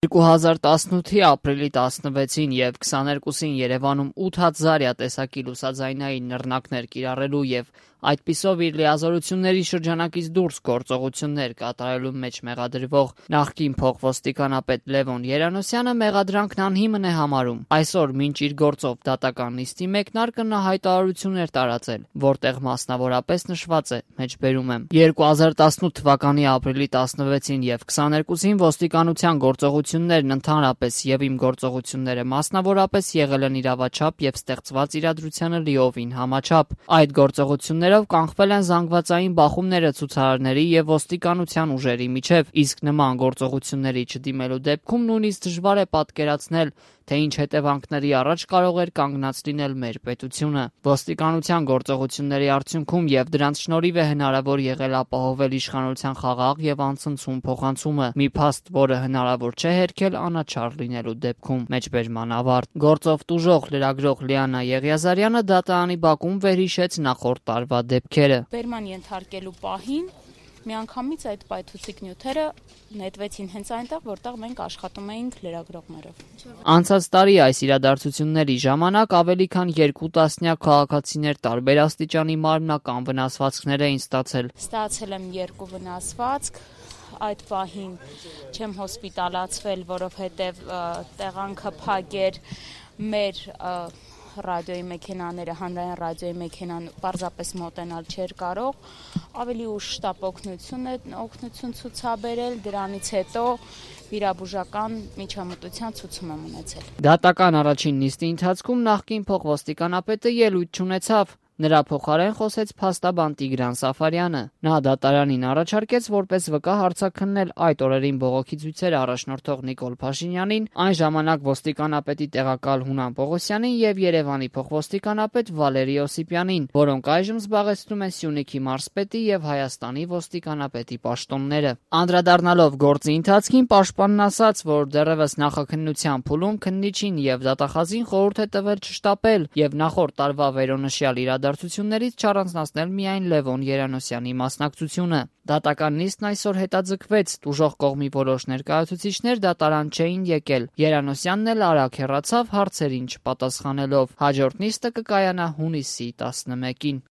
2018-ի ապրիլի 16-ին և 22-ին Երևանում 8 հատ Զարյա տեսակի լուսաձայնային նռնակներ կիրառելու և այդպիսով իր լիազորությունների շրջանակից դուրս գործողություններ կատարելու մեջ մեղադրվող նախկին փոխոստիկանապետ Լևոն Երանոսյանը մեղադրանքն անհիմն է համարում։ Այսօր, մինչ իր գործով դատական նիստի մեկնարկը, նա հայտարարություն էր տարածել, որտեղ մասնավորապես նշված է. 2018 թվականի ապրիլի 16-ին և 22-ին ոստիկանության գործողություններն ընդհանրապես և իմ գործողությունները մասնավորապես եղել են իրավաչափ և ստեղծված իրադրությանը լիովին համաչափ։ Այդ գործողություններով կանխվել են զանգվածային բախումները ցուցարարների և ոստիկանության ուժերի միջև, իսկ նման գործողությունների չդիմելու դեպքում նույնիսկ դժվար է պատկերացնել, թե ինչ հետևանքների առաջ կարող էր կանգնած լինել մեր պետությունը։ Ոստիկանության գործողությունների արդյունքում և դրանց շնորհիվ է հնարավոր եղել ապահովել իշխանության խաղաղ և անցնցում փոխանցումը, մի փաստ, որը հնարավոր չէ հերքել անաչառ լինելու դեպքում։ Գործով տուժող լրագրող Լիանա Եղիազարյանը դատարանի բակում վերհիշեց նախորդ տարվա դեպքերը։ Բերման ենթարկելու պահին միանգամից այդ պայթուցիկ նյութերը նետվեցին հենց այնտեղ, որտեղ մենք աշխատում էինք լրագրողներով։ Անցած տարի այս իրադարձությունների ժամանակ ավելի քան 2 տասնյակ քաղաքացիներ տարբեր աստիճանի մարմնական վնասվածքներ էին ստացել։ Ստացել եմ 2 վնասվածք, այդ պահին չեմ հոսպիտալացվել, որովհետև տեղանքը փակ էր, մեր ռադիոյի մեքենաները, հանրային ռադիոյի մեքենան պարզապես մոտենալ չէր կարող, ավելի ուշ շտապ օգնություն ցուցաբերել, դրանից հետո վիրաբուժական միջամտության ցուցում եմ ունեցել։ Դատական առաջին նիստի ընթացքում նախկին փոխոստիկանապետը ելույթ չունեցավ։ Նրա փոխարեն խոսեց փաստաբան Տիգրան Սաֆարյանը։ Նա դատարանին առաջարկեց որպես վկա հարցաքննել այդ օրերին բողոքի ցույցեր առաջնորդող Նիկոլ Փաշինյանին, այն ժամանակ ոստիկանապետի տեղակալ Հունան Պողոսյանին և Երևանի փոխոստիկանապետ Վալերի Օսիպյանին, որոնք այժմ զբաղեցնում են Սյունիքի մարզպետի և Հայաստանի ոստիկանապետի պաշտոնները։ Անդրադառնալով գործի ընթացքին, պաշտպանն ասաց, որ դեռևս նախաքննության փուլում քննիչին և դատախազին խորհուրդ է տվել չշտապել և նախորդ տարվա վերոնշյալ իրադարձություններից չառանձնացնել միայն Լևոն Երանոսյանի մասնակցությունը։ Դատական նիստն այսօր հետաձգվեց, տուժող կողմի որոշ ներկայացուցիչներ դատարան չէին եկել։ Երանոսյանն էլ արագ հեռացավ հարցերին չպատասխանելով։ Հաջորդ նիստը կկայանա հունիսի 11-ին։